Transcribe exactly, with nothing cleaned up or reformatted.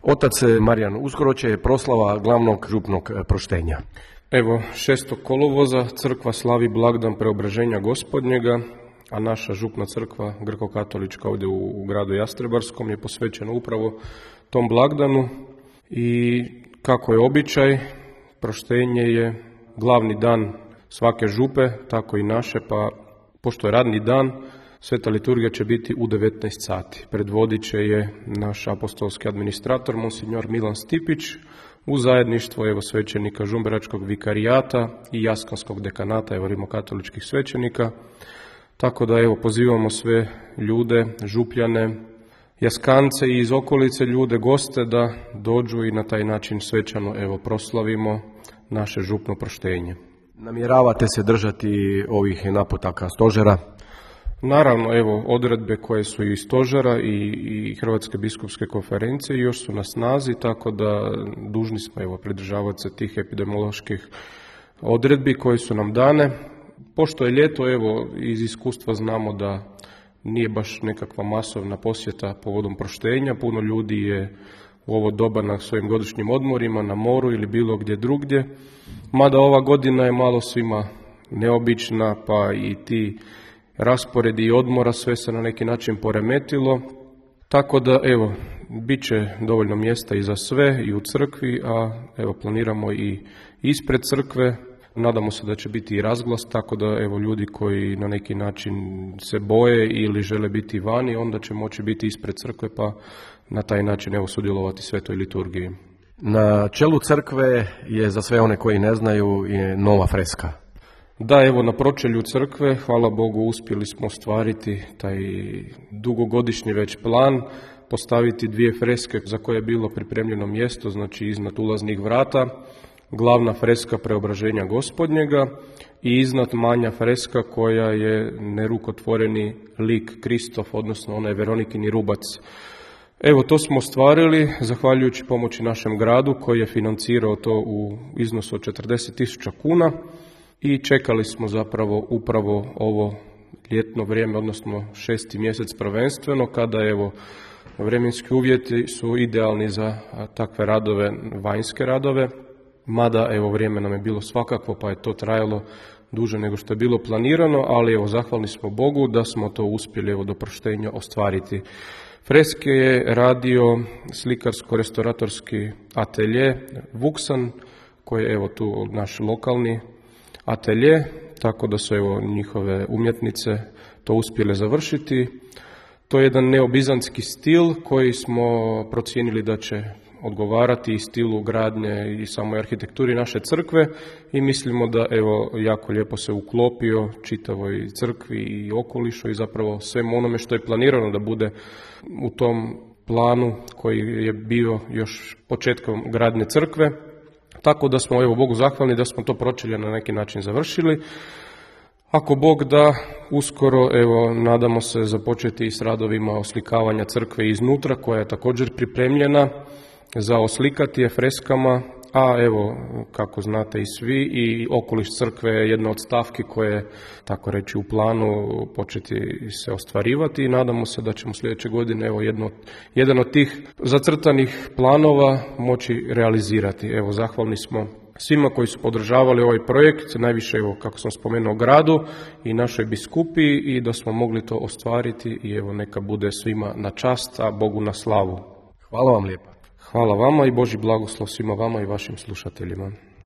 Otac Marijan, uskoro će proslava glavnog župnog proštenja. Evo, šestog kolovoza crkva slavi blagdan Preobraženja Gospodnjega, a naša župna crkva grko-katolička ovdje u gradu Jastrebarskom je posvećena upravo tom blagdanu i kako je običaj, proštenje je glavni dan svake župe, tako i naše, pa pošto je radni dan, sveta liturgija će biti u devetnaest sati. Predvodit će je naš apostolski administrator, monsignor Milan Stipić, u zajedništvo evo svećenika Žumberačkog vikarijata i Jaskanskog dekanata, evo rimokatoličkih svećenika. Tako da evo pozivamo sve ljude, župljane, Jaskance i iz okolice ljude, goste da dođu i na taj način svečano evo proslavimo naše župno proštenje. Namjeravate se držati ovih naputaka stožera? Naravno, evo, odredbe koje su i stožera i, i Hrvatske biskupske konferencije još su na snazi, tako da dužni smo evo pridržavati se tih epidemioloških odredbi koje su nam dane. Pošto je ljeto, evo, iz iskustva znamo da nije baš nekakva masovna posjeta povodom proštenja, puno ljudi je u ovo doba na svojim godišnjim odmorima, na moru ili bilo gdje drugdje, mada ova godina je malo svima neobična, pa i ti rasporedi i odmora sve se na neki način poremetilo, tako da evo, bit će dovoljno mjesta i za sve i u crkvi, a evo planiramo i ispred crkve, nadamo se da će biti i razglas, tako da evo ljudi koji na neki način se boje ili žele biti vani, onda će moći biti ispred crkve pa na taj način evo sudjelovati svetoj liturgiji. Na čelu crkve je, za sve one koji ne znaju, je nova freska. Da, evo na pročelju crkve, hvala Bogu, uspjeli smo ostvariti taj dugogodišnji već plan, postaviti dvije freske za koje je bilo pripremljeno mjesto, znači iznad ulaznih vrata, glavna freska Preobraženja Gospodnjega i iznad manja freska koja je nerukotvoreni lik Kristof, odnosno onaj Veronikini rubac. Evo, to smo ostvarili zahvaljujući pomoći našem gradu koji je financirao to u iznosu od četrdeset tisuća kuna. I čekali smo zapravo upravo ovo ljetno vrijeme, odnosno šesti mjesec prvenstveno, kada evo vremenski uvjeti su idealni za takve radove, vanjske radove, mada evo vrijeme nam je bilo svakako, pa je to trajalo duže nego što je bilo planirano, ali evo zahvalni smo Bogu da smo to uspjeli evo do proštenja ostvariti. Freske je radio slikarsko-restauratorski atelje Vuksan, koji je evo tu naš lokalni atelje, tako da su evo njihove umjetnice to uspjele završiti. To je jedan neobizantski stil koji smo procijenili da će odgovarati i stilu gradnje i samoj arhitekturi naše crkve i mislimo da evo jako lijepo se uklopio čitavoj crkvi i okolišu i zapravo svemu onome što je planirano da bude u tom planu koji je bio još početkom gradnje crkve. Tako da smo evo Bogu zahvalni da smo to pročelje na neki način završili. Ako Bog da, uskoro evo nadamo se započeti i s radovima oslikavanja crkve iznutra koja je također pripremljena za oslikati je freskama, a evo kako znate i svi i okoliš crkve je jedna od stavki koje je tako reći u planu početi se ostvarivati i nadamo se da ćemo sljedeće godine evo jedno, jedan od tih zacrtanih planova moći realizirati. Evo zahvalni smo svima koji su podržavali ovaj projekt, najviše evo kako sam spomenuo gradu i našoj biskupiji i da smo mogli to ostvariti i evo neka bude svima na čast, a Bogu na slavu. Hvala vam lijepa. Hvala vama i Božji blagoslov svima vama i vašim slušateljima.